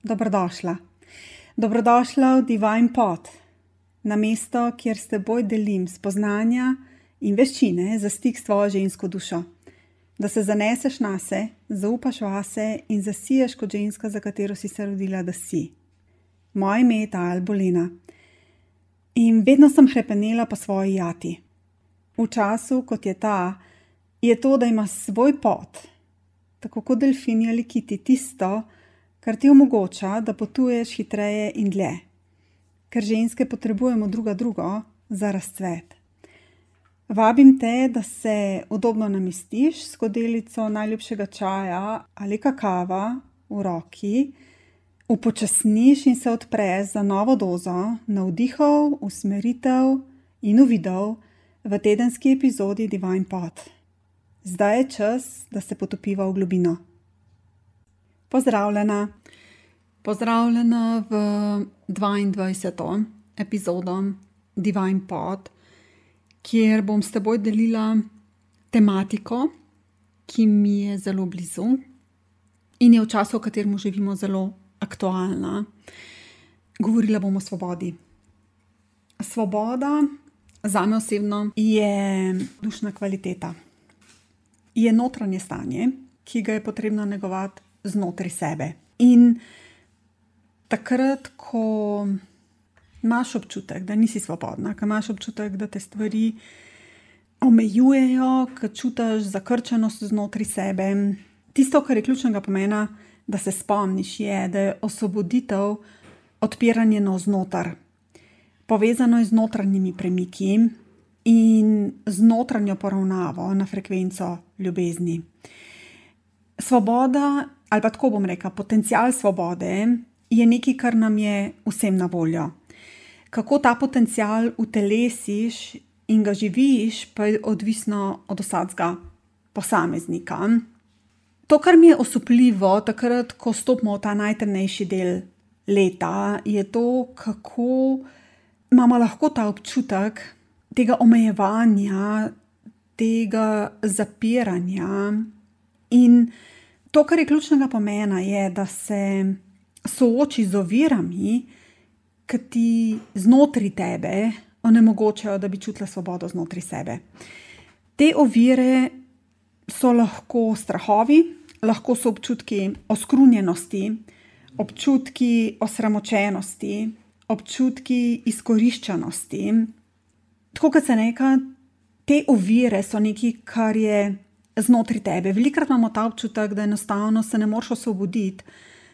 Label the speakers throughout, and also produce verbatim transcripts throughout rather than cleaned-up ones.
Speaker 1: Dobrodošla. Dobrodošla v Divine Pod, na mesto, kjer s teboj delim spoznanja in veščine za stik s tvojo žensko dušo. Da se zaneseš nase, zaupaš vase in zasiješ kot ženska, za katero si se rodila, da si. Moje ime je Tajal Bolena in vedno sem hrepenela po svoji jati. V času, kot je ta, je to, da ima svoj pot, tako kot delfini ali kiti, tisto, kar ti omogoča, da potuješ hitreje in dlje. Ker ženske potrebujemo druga drugo za razcvet. Vabim te, da se udobno namestiš s skodelico najljubšega čaja ali kakava v roki, upočasniš in se odpreš za novo dozo navdihov, usmeritev in uvidov v tedenski epizodi Divine Pod. Zdaj je čas, da se potopiva v globino. Pozdravljena. Pozdravljena v dvaindvajseto epizodo Divine Pod, kjer bom s teboj delila tematiko, ki mi je zelo blizu in je v času, v katerem živimo, zelo aktualna. Govorila bom o svobodi. Svoboda zame osebno je dušna kvaliteta. Je notranje stanje, ki ga je potrebno negovati znotraj sebe. In takrat, ko imaš občutek, da nisi svobodna, ko imaš občutek, da te stvari omejujejo, ko čutiš zakrčenost znotraj sebe, tisto, kar je ključnega pomena, da se spomniš, je, da je osvoboditev odpiranje navznoter. Povezano je z notranjimi premiki in z notranjo poravnavo na frekvenco ljubezni. Svoboda, ali pa tako bom rekla, potencial svobode je nekaj, kar nam je vsem na voljo. Kako ta potencial utelesiš in ga živiš, pa je odvisno od vsakega posameznika. To, kar mi je osupljivo takrat, ko stopimo v ta najtemnejši del leta, je to, kako imamo lahko ta občutek tega omejevanja, tega zapiranja. In to, kar je ključnega pomena, je, da se sooči z ovirami, ki ti znotraj tebe onemogočajo, da bi čutila svobodo znotraj sebe. Te ovire so lahko strahovi, lahko so občutki oskrunjenosti, občutki osramočenosti, občutki izkoriščanosti. Tako kot se reka, te ovire so nekaj, kar je znotraj tebe. Velikokrat imamo ta občutek, da enostavno se ne moreš osvoboditi,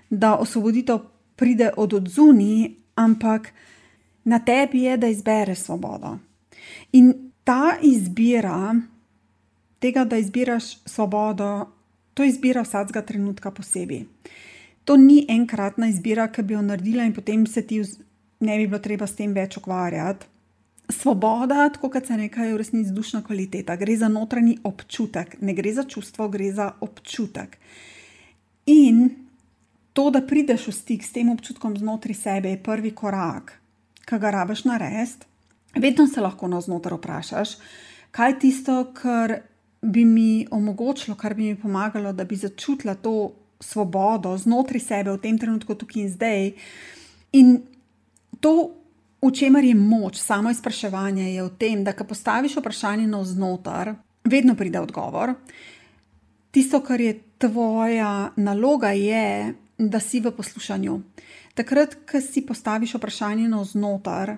Speaker 1: da osvoboditev pride od odzunaj, ampak na tebi je, da izbereš svobodo. In ta izbira, tega, da izbiraš svobodo, to izbira vsakega trenutka posebej. To ni enkratna izbira, ki bi jo naredila in potem se ti ne bi bilo treba s tem več ukvarjati. Svoboda, tako kot se reka, je v resnici dušna kvaliteta. Gre za notranji občutek. Ne gre za čustvo, gre za občutek. In to, da prideš v stik s tem občutkom znotraj sebe, je prvi korak, ki ga rabiš narediti. Vedno se lahko navznoter vprašaš, kaj je tisto, kar bi mi omogočilo, kar bi mi pomagalo, da bi začutila to svobodo znotraj sebe v tem trenutku, tukaj in zdaj. In to, v čemer je moč samo izpraševanja, je v tem, da ko postaviš vprašanje navznoter, vedno pride odgovor. Tisto, kar je tvoja naloga, je, da si v poslušanju. Takrat, ko si postaviš vprašanje navznoter,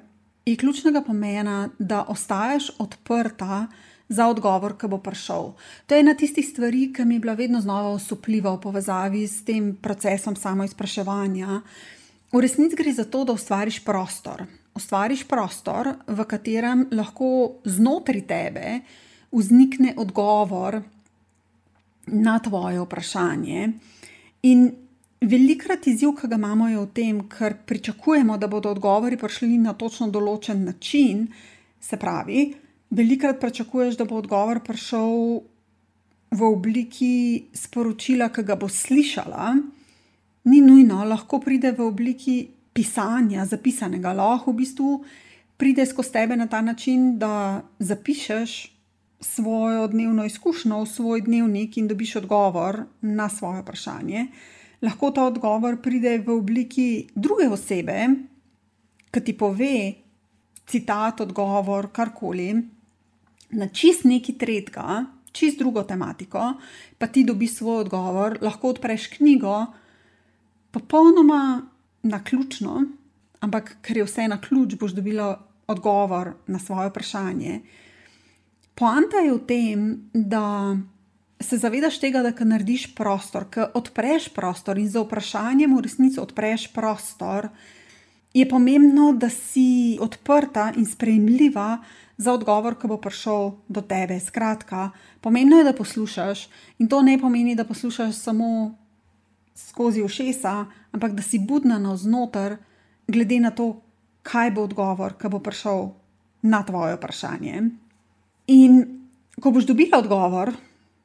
Speaker 1: je ključnega pomena, da ostaješ odprta za odgovor, ki bo prišel. To je ena tistih stvari, ki mi je bila vedno znova osupljiva v povezavi s tem procesom samoizpraševanja. V resnici gre za to, da ustvariš prostor. Ustvariš prostor, v katerem lahko znotraj tebe vznikne odgovor na tvoje vprašanje. In velikokrat izziv, ki ga imamo, je v tem, ker pričakujemo, da bodo odgovori prišli na točno določen način. Se pravi, velikokrat pričakuješ, da bo odgovor prišel v obliki sporočila, ki ga bo slišala. Ni nujno, lahko pride v obliki pisanja, zapisanega. Lahko v bistvu pride skozi tebe na ta način, da zapišeš svojo dnevno izkušnjo v svoj dnevnik in dobiš odgovor na svoje vprašanje. Lahko ta odgovor pride v obliki druge osebe, ki ti pove citat, odgovor, karkoli, na čist neki tretjega, čist drugo tematiko, pa ti dobiš svoj odgovor, lahko odpreš knjigo, popolnoma naključno, ampak ker je vse na ključ, boš dobila odgovor na svoje vprašanje. Poanta je v tem, da se zavedaš tega, da ko narediš prostor, ko odpreš prostor in za vprašanjem v resnici odpreš prostor, je pomembno, da si odprta in sprejemljiva za odgovor, ki bo prišel do tebe. Skratka, pomembno je, da poslušaš in to ne pomeni, da poslušaš samo skozi ušesa, ampak da si budna navznoter, glede na to, kaj bo odgovor, ki bo prišel na tvoje vprašanje. In ko boš dobila odgovor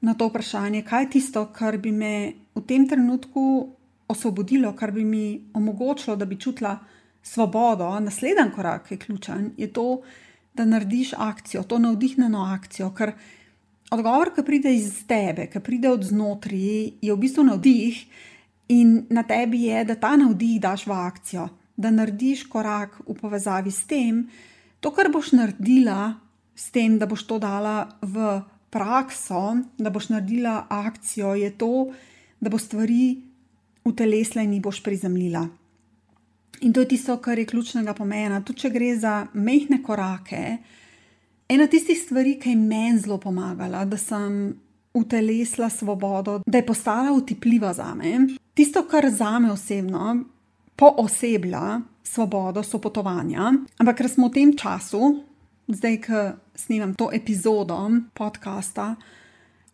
Speaker 1: na to vprašanje, kaj je tisto, kar bi me v tem trenutku osvobodilo, kar bi mi omogočilo, da bi čutila svobodo, naslednji korak je ključen, je to, da narediš akcijo, to navdihnjeno akcijo, ker odgovor, ki pride iz tebe, ki pride od znotraj, je v bistvu navdih in na tebi je, da ta navdih daš v akcijo, da narediš korak v povezavi s tem, to, kar boš naredila s tem, da boš to dala v prakso, da boš naredila akcijo, je to, da bo stvari utelesla in jih boš prizemljila. In to je tisto, kar je ključnega pomena. Tudi če gre za majhne korake, ena tistih stvari, ki je meni zelo pomagala, da sem utelesla svobodo, da je postala utipljiva zame. Tisto, kar zame osebno pooseblja svobodo, so potovanja. Ampak ker smo v tem času, zdaj, ko snemam to epizodo podcasta,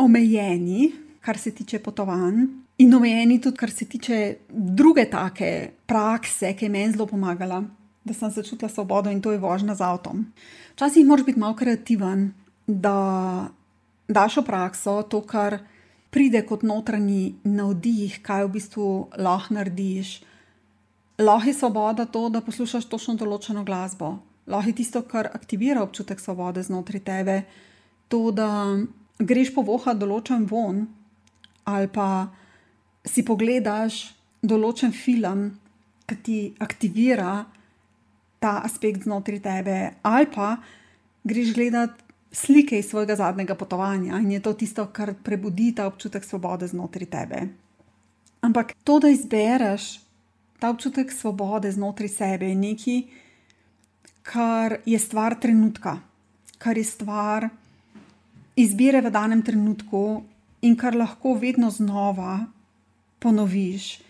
Speaker 1: omejeni, kar se tiče potovanj, in omejeni tudi, kar se tiče druge take prakse, ki je meni zelo pomagala, da sem začutila svobodo, in to je vožnja z avtom. Včasih moraš biti malo kreativen, da daš v prakso to, kar pride kot notranji navdih, kaj v bistvu lahko narediš. Lahko je svoboda to, da poslušaš točno določeno glasbo. Lahko je tisto, kar aktivira občutek svobode znotraj tebe, to, da greš povohat določen vonj ali pa si pogledaš določen film, ki ti aktivira ta aspekt znotraj tebe, ali pa greš gledat slike iz svojega zadnjega potovanja in je to tisto, kar prebudi ta občutek svobode znotraj tebe. Ampak to, da izbereš ta občutek svobode znotraj sebe, je nekaj, kar je stvar trenutka, kar je stvar izbire v danem trenutku in kar lahko vedno znova ponoviš.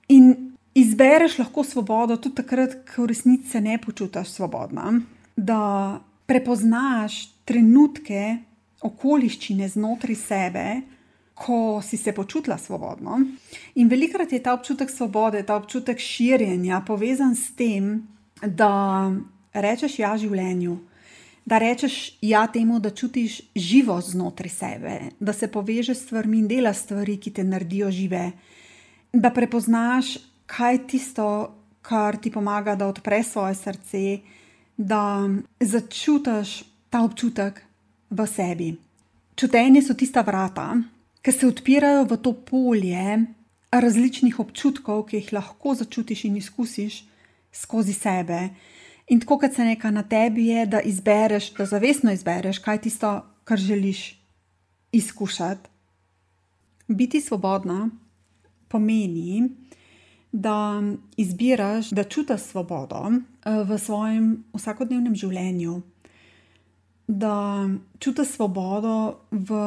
Speaker 1: In izbereš lahko svobodo tudi takrat, ko v resnici se ne počutiš svobodna, da prepoznaš trenutke, okoliščine znotraj sebe, ko si se počutila svobodno. In velikokrat je ta občutek svobode, ta občutek širjenja povezan s tem, da rečeš ja življenju, da rečeš ja temu, da čutiš živost znotraj sebe, da se povežeš s stvarmi in delaš stvari, ki te naredijo žive, da prepoznaš, kaj je tisto, kar ti pomaga, da odpreš svoje srce, da začutiš ta občutek v sebi. Čutenje so tista vrata, ki se odpirajo v to polje različnih občutkov, ki jih lahko začutiš in izkusiš skozi sebe. In tako, kot se neka na tebi je, da izbereš, da zavestno izbereš, kaj je tisto, kar želiš izkušati. Biti svobodna pomeni, da izbiraš, da čutiš svobodo v svojem vsakodnevnem življenju, da čutiš svobodo v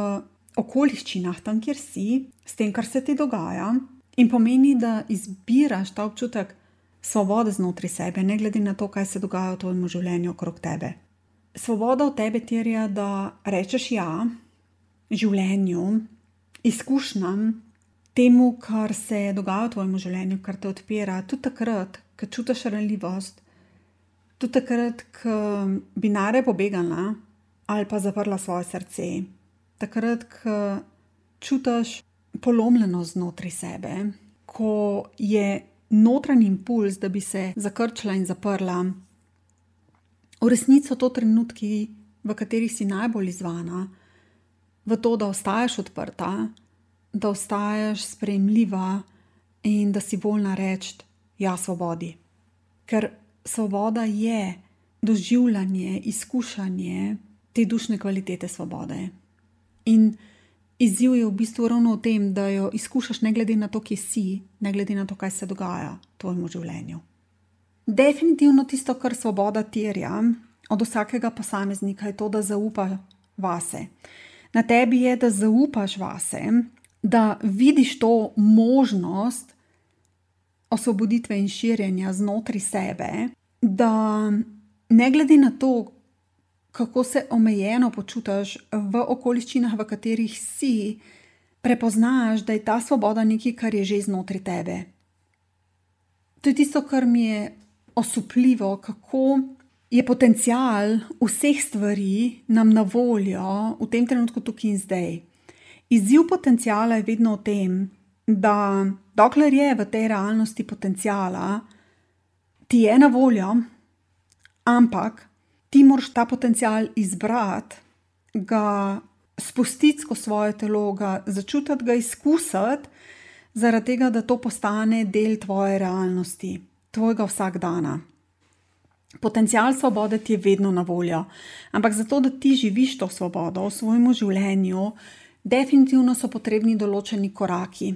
Speaker 1: okoliščinah, tam, kjer si, s tem, kar se ti dogaja, in pomeni, da izbiraš ta občutek svobode znotraj sebe, ne glede na to, kaj se dogaja v tvojem življenju okrog tebe. Svoboda od tebe terja, da rečeš ja življenju, izkušnjam, temu, kar se dogaja v tvojem življenju, kar te odpira, tudi takrat, ko čutiš ranljivost, tudi takrat, ko bi najraje pobegala ali pa zaprla svoje srce, takrat, ko čutiš polomljenost znotraj sebe, ko je notranji impuls, da bi se zakrčila in zaprla. V resnici so to trenutki, v katerih si najbolj izzvana, v to, da ostajaš odprta, da ostajaš sprejemljiva, in da si voljna reči ja svobodi. Ker svoboda je doživljanje, izkušanje te dušne kvalitete svobode. In izziv je v bistvu ravno v tem, da jo izkušaš ne glede na to, kje si, ne glede na to, kaj se dogaja v tvojemu življenju. Definitivno tisto, kar svoboda terja od vsakega posameznika, je to, da zaupa vase. Na tebi je, da zaupaš vase, da vidiš to možnost osvoboditve in širjenja znotraj sebe, da ne glede na to, kako se omejeno počutiš v okoliščinah, v katerih si, prepoznaš, da je ta svoboda nekaj, kar je že znotraj tebe. To je tisto, kar mi je osupljivo, kako je potencial vseh stvari nam na voljo v tem trenutku tukaj in zdaj. Izziv potenciala je vedno v tem, da dokler je v tej realnosti potenciala, ti je na voljo, ampak ti moraš ta potencial izbrati, ga spustiti skozi svoje telo, ga začutiti, ga izkusiti, zaradi tega, da to postane del tvoje realnosti, tvojega vsakdana. Potencial svobode ti je vedno na voljo, ampak zato, da ti živiš to svobodo v svojemu življenju, definitivno so potrebni določeni koraki.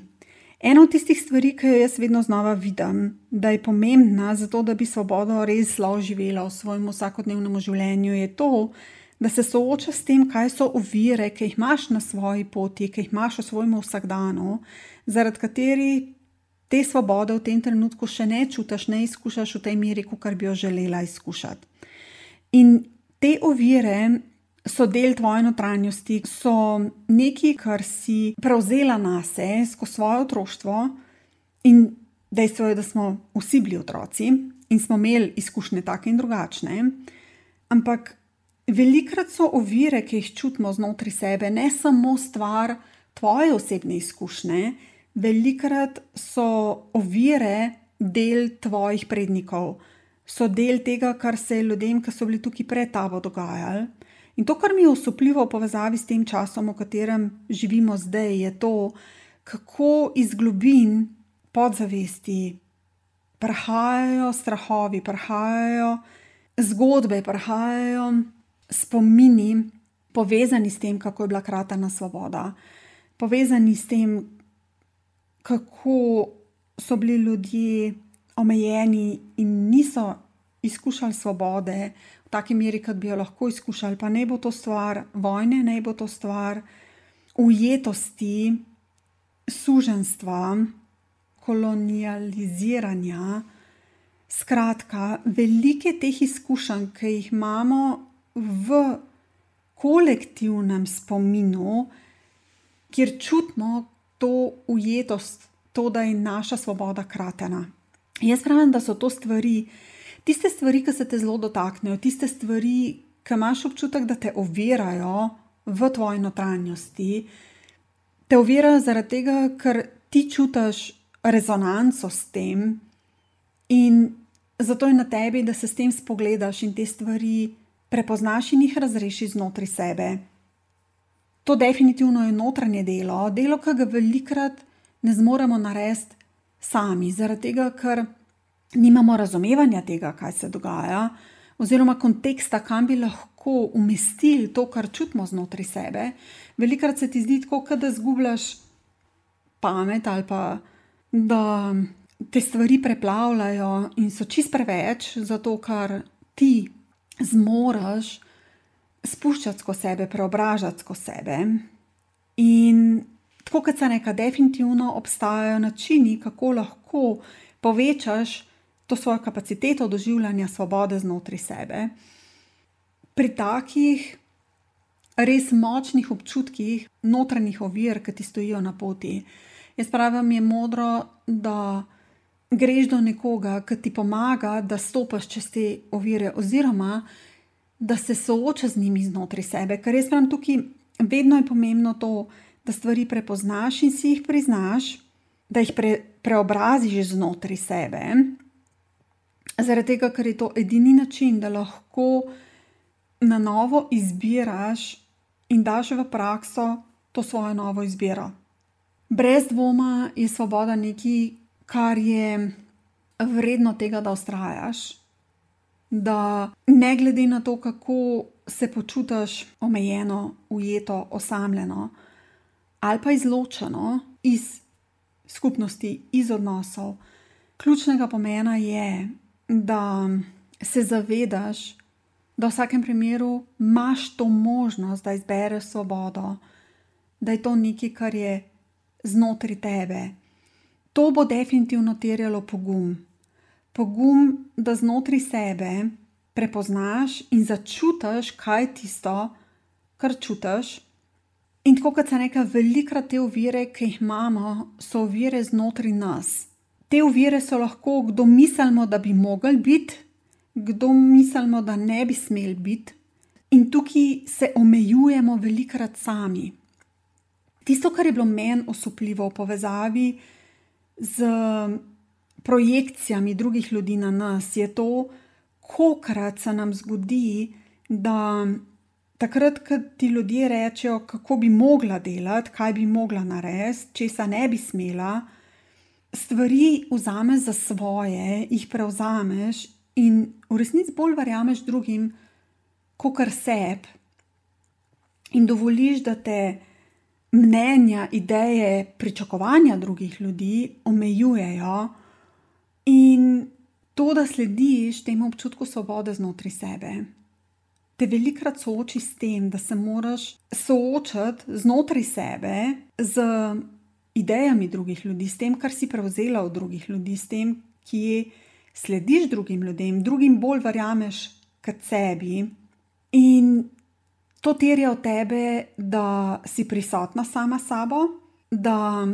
Speaker 1: Ena od tistih stvari, ki jo jaz vedno znova vidim, da je pomembna zato, da bi svobodo res lahko živela v svojem vsakodnevnem življenju, je to, da se soočaš s tem, kaj so ovire, ki jih imaš na svoji poti, ki jih imaš v svojem vsakdanu, zaradi katerih te svobode v tem trenutku še ne čutiš, ne izkušaš v tej meri, kakor bi jo želela izkušati. In te ovire so del tvoje notranjosti, so nekaj, kar si prevzela nase skozi svoje otroštvo, in dejstvo je, da smo vsi bili otroci in smo imeli izkušnje take in drugačne, ampak velikokrat so ovire, ki jih čutimo znotraj sebe, ne samo stvar tvoje osebne izkušnje, velikokrat so ovire del tvojih prednikov, so del tega, kar se je ljudem, ki so bili tukaj pred tabo dogajali. In to, kar mi je osupljivo v povezavi s tem časom, v katerem živimo zdaj, je to, kako iz globin podzavesti prihajajo strahovi, prihajajo zgodbe, prihajajo spomini, povezani s tem, kako je bila kratena svoboda, povezani s tem, kako so bili ljudje omejeni in niso izkušali svobode v taki meri, kot bi jo lahko izkušali, pa ne bo to stvar vojne, ne bo to stvar ujetosti, suženjstva, kolonializiranja. Skratka, velike teh izkušenj, ki jih imamo v kolektivnem spominu, kjer čutimo to ujetost, to, da je naša svoboda kratena. Jaz pravim, da so to stvari, tiste stvari, ki se te zelo dotaknejo, tiste stvari, ki imaš občutek, da te ovirajo v tvoji notranjosti, te ovirajo zaradi tega, ker ti čutiš rezonanco s tem in zato je na tebi, da se s tem spogledaš in te stvari prepoznaš in jih razrešiš znotraj sebe. To definitivno je notranje delo, delo, ki ga velikokrat ne zmoremo narediti sami, zaradi tega, ker nimamo razumevanja tega, kaj se dogaja, oziroma konteksta, kam bi lahko umestili to, kar čutimo znotraj sebe. Velikokrat se ti zdi tako, kot da izgubljaš pamet ali pa da te stvari preplavljajo in so čisto preveč, zato ker ti zmoreš spuščati skozi sebe, preobražati skozi sebe. In tako kot se neka, definitivno obstajajo načini, kako lahko povečaš to svojo kapaciteto doživljanja svobode znotraj sebe. Pri takih res močnih občutkih notranjih ovir, ki ti stojijo na poti, jaz pravim, je modro, da greš do nekoga, ki ti pomaga, da stopaš čez te ovire, oziroma da se sooča z njimi znotraj sebe. Ker jaz pravim, tukaj vedno je pomembno to, da stvari prepoznaš in si jih priznaš, da jih pre, preobraziš znotraj sebe, zaradi tega, ker je to edini način, da lahko na novo izbiraš in daš v prakso to svojo novo izbiro. Brez dvoma je svoboda nekaj, kar je vredno tega, da vztrajaš, da ne glede na to, kako se počutiš omejeno, ujeto, osamljeno ali pa izločeno iz skupnosti, iz odnosov, ključnega pomena je, da se zavedaš, da v vsakem primeru imaš to možnost, da izbereš svobodo, da je to nekaj, kar je znotraj tebe. To bo definitivno terjalo pogum. Pogum, da znotraj sebe prepoznaš in začutiš, kaj je tisto, kar čutiš. In tako kot sem rekla, velikokrat te ovire, ki jih imamo, so ovire znotraj nas. Te ovire so lahko, kdo mislimo, da bi mogli biti, kdo mislimo, da ne bi smeli biti. In tukaj se omejujemo velikokrat sami. Tisto, kar je bilo meni osupljivo v povezavi z projekcijami drugih ljudi na nas, je to, kolikokrat se nam zgodi, da takrat, ko ti ljudje rečejo, kako bi mogla delati, kaj bi mogla narediti, česa ne bi smela, stvari vzameš za svoje, jih prevzameš in v resnici bolj verjameš drugim, kakor sebi. In dovoliš, da te mnenja, ideje, pričakovanja drugih ljudi omejujejo in to, da slediš temu občutku svobode znotraj sebe, te velikokrat sooči s tem, da se moraš soočati znotraj sebe z idejami drugih ljudi, s tem, kar si prevzela od drugih ljudi, s tem, ki slediš drugim ljudem, drugim bolj verjameš kot sebi. In to terja od tebe, da si prisotna sama s sabo, da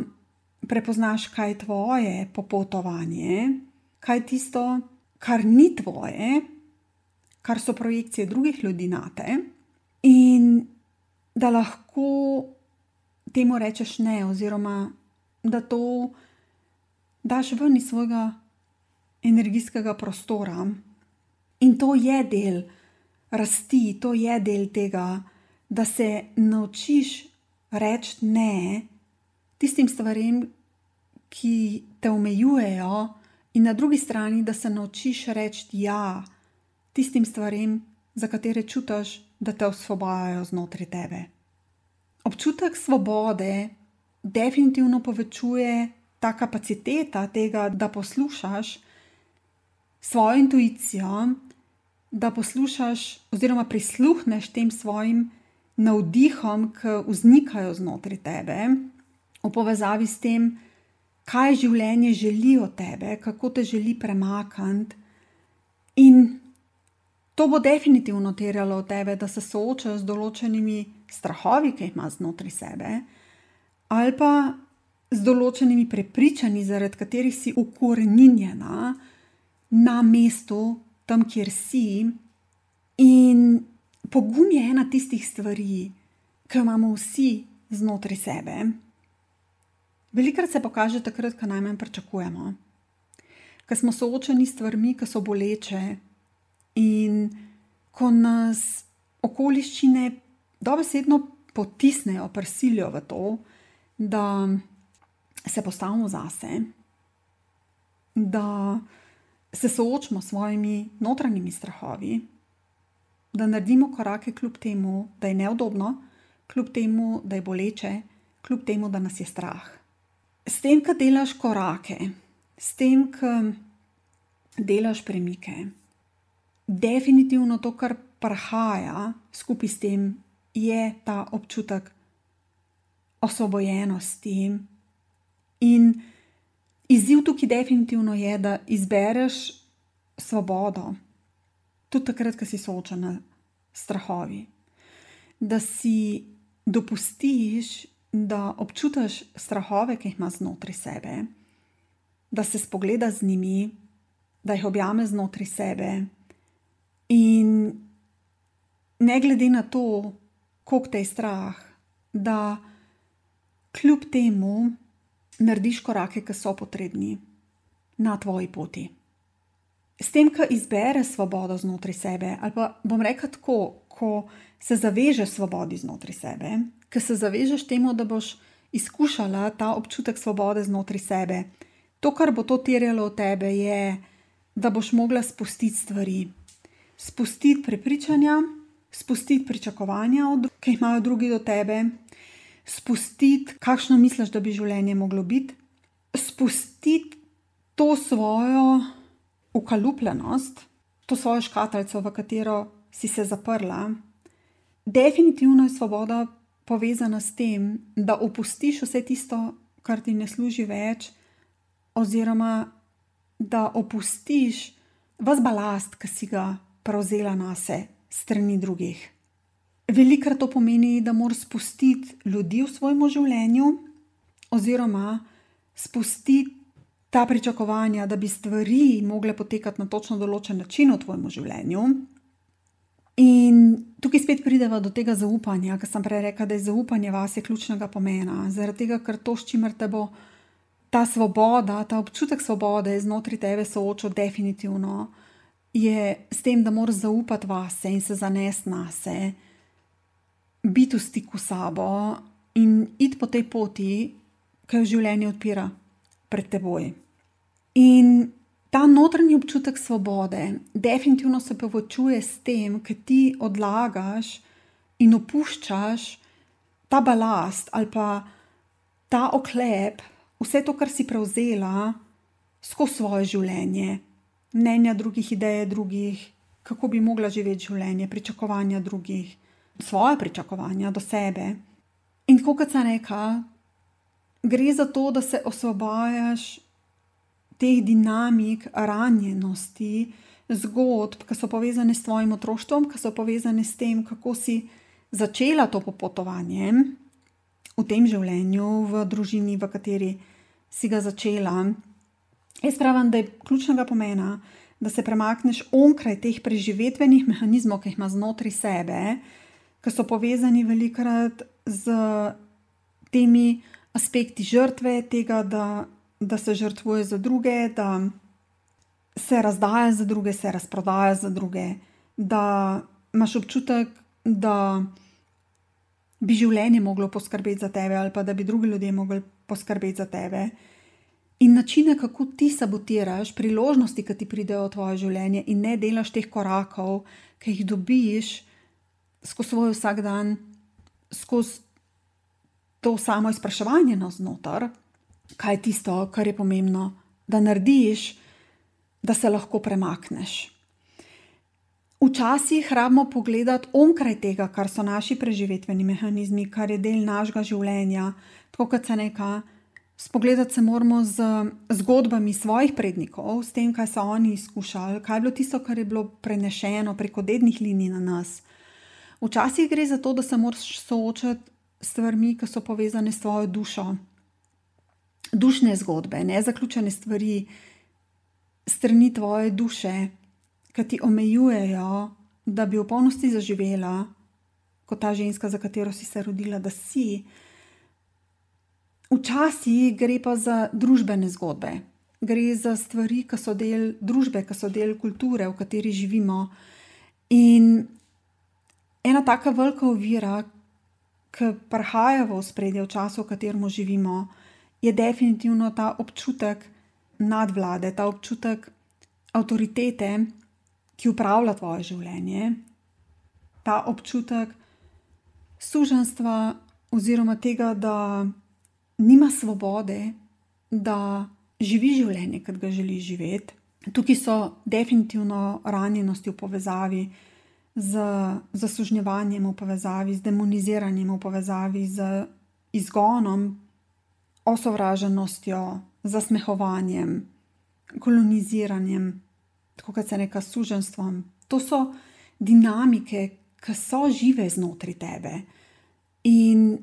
Speaker 1: prepoznaš, kaj je tvoje popotovanje, kaj je tisto, kar ni tvoje, kar so projekcije drugih ljudi nate, in da lahko temu rečeš ne, oziroma da to daš ven iz svojega energijskega prostora. In to je del rasti, to je del tega, da se naučiš reči ne tistim stvarem, ki te omejujejo, in na drugi strani, da se naučiš reči ja tistim stvarem, za katere čutiš, da te osvobajajo znotraj tebe. Občutek svobode definitivno povečuje ta kapaciteta tega, da poslušaš svojo intuicijo, da poslušaš oziroma prisluhneš tem svojim navdihom, ki vznikajo znotraj tebe, v povezavi s tem, kaj življenje želi od tebe, kako te želi premakniti. In to bo definitivno terjalo od tebe, da se soočaš z določenimi strahovi, ki jih imaš znotraj sebe, ali pa z določenimi prepričanji, zaradi katerih si ukoreninjena na mestu, tam, kjer si. In pogum je ena tistih stvari, ki jo imamo vsi znotraj sebe. Velikokrat se pokaže takrat, ko najmanj pričakujemo, ko smo soočeni s stvarmi, ki so boleče, in ko nas okoliščine dobesedno potisnejo, prisilijo v to, da se postavimo zase, da se soočimo s svojimi notranjimi strahovi, da naredimo korake kljub temu, da je neudobno, kljub temu, da je boleče, kljub temu, da nas je strah. S tem, ko delaš korake, s tem, ko delaš premike, definitivno to, kar prihaja skupaj s tem, je ta občutek osvobojenosti. In izziv tukaj definitivno je, da izbereš svobodo, tudi takrat, ko si soočena s strahovi. Da si dopustiš, da občutiš strahove, ki jih imaš znotraj sebe, da se spogledaš z njimi, da jih objameš znotraj sebe. In ne glede na to, koliko te je strah, da kljub temu narediš korake, ki so potrebni na tvoji poti. S tem, ko izbereš svobodo znotraj sebe, ali pa bom rekla tako, ko se zavežeš svobodi znotraj sebe, ko se zavežeš temu, da boš izkušala ta občutek svobode znotraj sebe, To, kar bo to terjalo od tebe, je, da boš mogla spustiti stvari. Spustiti prepričanja, spustiti pričakovanja, ki jih imajo drugi do tebe, spustiti, kakšno misliš, da bi življenje moglo biti, spustiti to svojo ukalupljenost, to svojo škatlico, v katero si se zaprla. Definitivno je svoboda povezana s tem, da opustiš vse tisto, kar ti ne služi več, oziroma da opustiš ves balast, ki si ga prevzela nase strani drugih. Velikokrat to pomeni, da moraš spustiti ljudi v svojem življenju, oziroma spustiti ta pričakovanja, da bi stvari mogle potekati na točno določen način v tvojem življenju. In tukaj spet prideva do tega zaupanja, ker sem prej rekla, da je zaupanje vase ključnega pomena, zaradi tega, ker to, s čimer te bo ta svoboda, ta občutek svobode znotraj tebe soočil definitivno, je s tem, da moraš zaupati vase in se zanesti nase, biti v stiku s sabo in iti po tej poti, ki jo življenje odpira pred teboj. In ta notranji občutek svobode definitivno se povečuje s tem, ker ti odlagaš in opuščaš ta balast ali pa ta oklep, vse to, kar si prevzela skozi svoje življenje, mnenja drugih, ideje drugih, kako bi mogla živeti življenje, pričakovanja drugih, svoje pričakovanja do sebe. In tako kot sem rekla, gre za to, da se osvobajaš teh dinamik ranjenosti, zgodb, ki so povezane s tvojim otroštvom, ki so povezane s tem, kako si začela to popotovanje v tem življenju, v družini, v kateri si ga začela. Jaz pravim, da je ključnega pomena, da se premakneš onkraj teh preživetvenih mehanizmov, ki jih ima znotraj sebe, ki so povezani velikokrat z temi aspekti žrtve, tega, da, da se žrtvuje za druge, da se razdaja za druge, se razprodaja za druge, da imaš občutek, da bi življenje moglo poskrbeti za tebe ali pa da bi drugi ljudje mogli poskrbeti za tebe. In načine, kako ti sabotiraš priložnosti, ki ti pridejo v tvoje življenje in ne delaš teh korakov, ki jih dobiš skozi svoj vsak dan, skozi to samo izpraševanje navznoter, kaj je tisto, kar je pomembno, da narediš, da se lahko premakneš. Včasih rabimo pogledati onkraj tega, kar so naši preživetveni mehanizmi, kar je del našega življenja, tako kot se neka, spogledati se moramo z zgodbami svojih prednikov, s tem, kaj so oni izkušali, kaj je bilo tisto, kar je bilo prenešeno preko dednih linij na nas. Včasih gre za to, da se moraš soočati s stvarmi, ki so povezane s tvojo dušo. Dušne zgodbe, nezaključene stvari, strani tvoje duše, ki ti omejujejo, da bi v polnosti zaživela, kot ta ženska, za katero si se rodila, da si. Včasih gre pa za družbene zgodbe. Gre za stvari, ki so del družbe, ki so del kulture, v kateri živimo. In ena taka velika ovira, ki prihaja v ospredje v času, v katerem živimo, je definitivno ta občutek nadvlade, ta občutek avtoritete, ki upravlja tvoje življenje, ta občutek suženjstva oziroma tega, da nima svobode, da živi življenje, kot ga želi živeti. Tukaj so definitivno ranjenosti v povezavi z zasužnjevanjem, v povezavi z demoniziranjem, v povezavi z izgonom, osovraženostjo, zasmehovanjem, koloniziranjem, tako kot se neka suženjstvom. To so dinamike, ki so žive znotraj tebe. In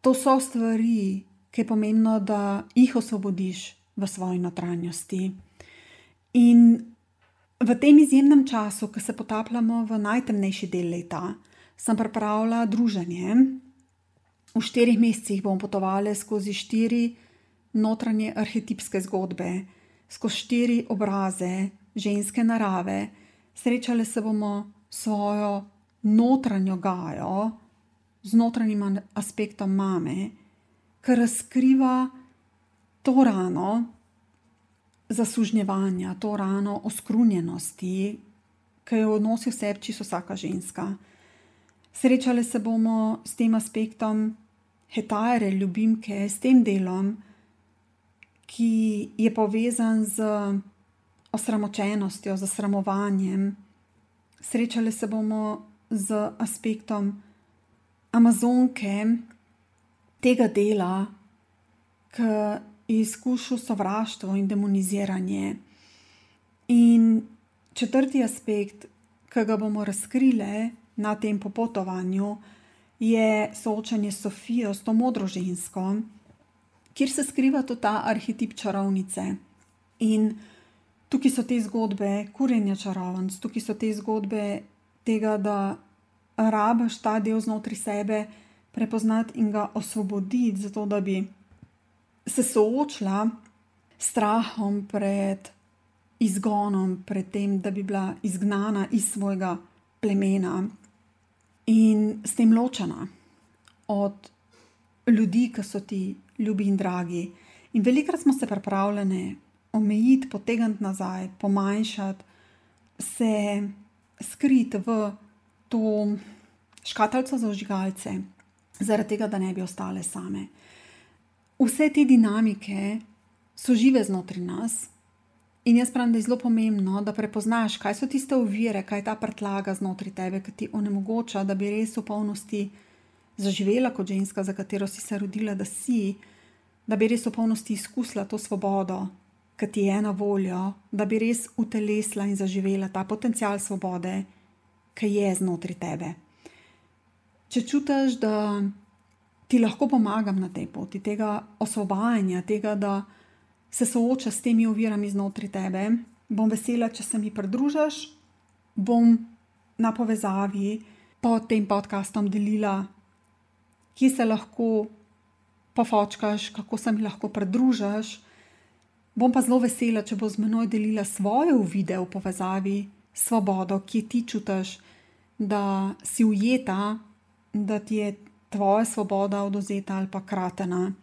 Speaker 1: to so stvari, ki je pomembno, da jih osvobodiš v svoji notranjosti. In v tem izjemnem času, ko se potapljamo v najtemnejši del leta, sem pripravila druženje. V štirih mesecih bomo potovali skozi štiri notranje arhetipske zgodbe, skozi štiri obraze ženske narave. Srečali se bomo svojo notranjo Gajo, z notranjim aspektom mame, ki razkriva to rano, zasužnjevanja, to rano oskrunjenosti, ki jo nosi v sebi čisto vsaka ženska. Srečali se bomo s tem aspektom hetare, ljubimke, s tem delom, ki je povezan z osramočenostjo, z sramovanjem. Srečali se bomo z aspektom amazonke, tega dela, ki je izkušal sovraštvo in demoniziranje. In četrti aspekt, ki ga bomo razkrile na tem popotovanju, je soočanje s Sofijo, s to modro žensko, kjer se skriva tudi ta arhetip čarovnice. In tukaj so te zgodbe kurjenja čarovnic, tukaj so te zgodbe tega, da rabiš ta del znotraj sebe prepoznati in ga osvoboditi, zato da bi se soočila s strahom pred izgonom, pred tem, da bi bila izgnana iz svojega plemena in s tem ločena od ljudi, ki so ti ljubi in dragi. In velikokrat smo se pripravljene omejiti, potegniti nazaj, pomanjšati, se skriti v to škatlico za vžigalce, zaradi tega, da ne bi ostale same. Vse te dinamike so žive znotraj nas in jaz pravim, da je zelo pomembno, da prepoznaš, kaj so tiste ovire, kaj je ta prtlaga znotraj tebe, ki ti onemogoča, da bi res v polnosti zaživela kot ženska, za katero si se rodila, da si, da bi res v polnosti izkusila to svobodo, ki ti je na voljo, da bi res utelesila in zaživela ta potencial svobode, ki je znotraj tebe. Če čutiš, da ti lahko pomagam na tej poti, tega osvobajanja, tega, da se sooča s temi ovirami znotraj tebe, bom vesela, če se mi pridružiš, bom na povezavi pod tem podcastom delila, kje se lahko pofočkaš, kako se mi lahko pridružiš. Bom pa zelo vesela, če bo z menoj delila svoje uvide v povezavi s svobodo, kje ti čutiš, da si ujeta, da ti je tvoja svoboda odvzeta ali pa kratena.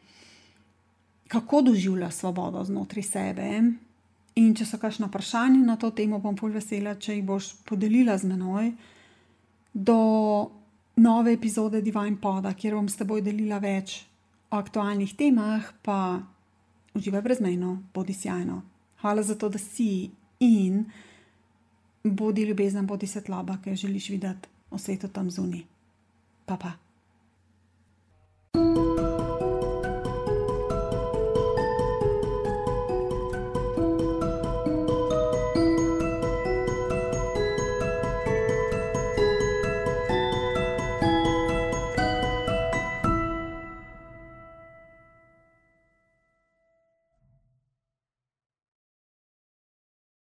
Speaker 1: Kako doživljaš svobodo znotraj sebe? In če so kakšna vprašanja na to temo, bom ful vesela, če jih boš podelila z menoj do nove epizode Divine Poda, kjer bom s teboj delila več o aktualnih temah, pa uživaj brezmejno, bodi sjajno. Hvala za to, da si in bodi ljubezen, bodi svetloba, ki jo želiš videti v svetu tam zunaj. Pa pa.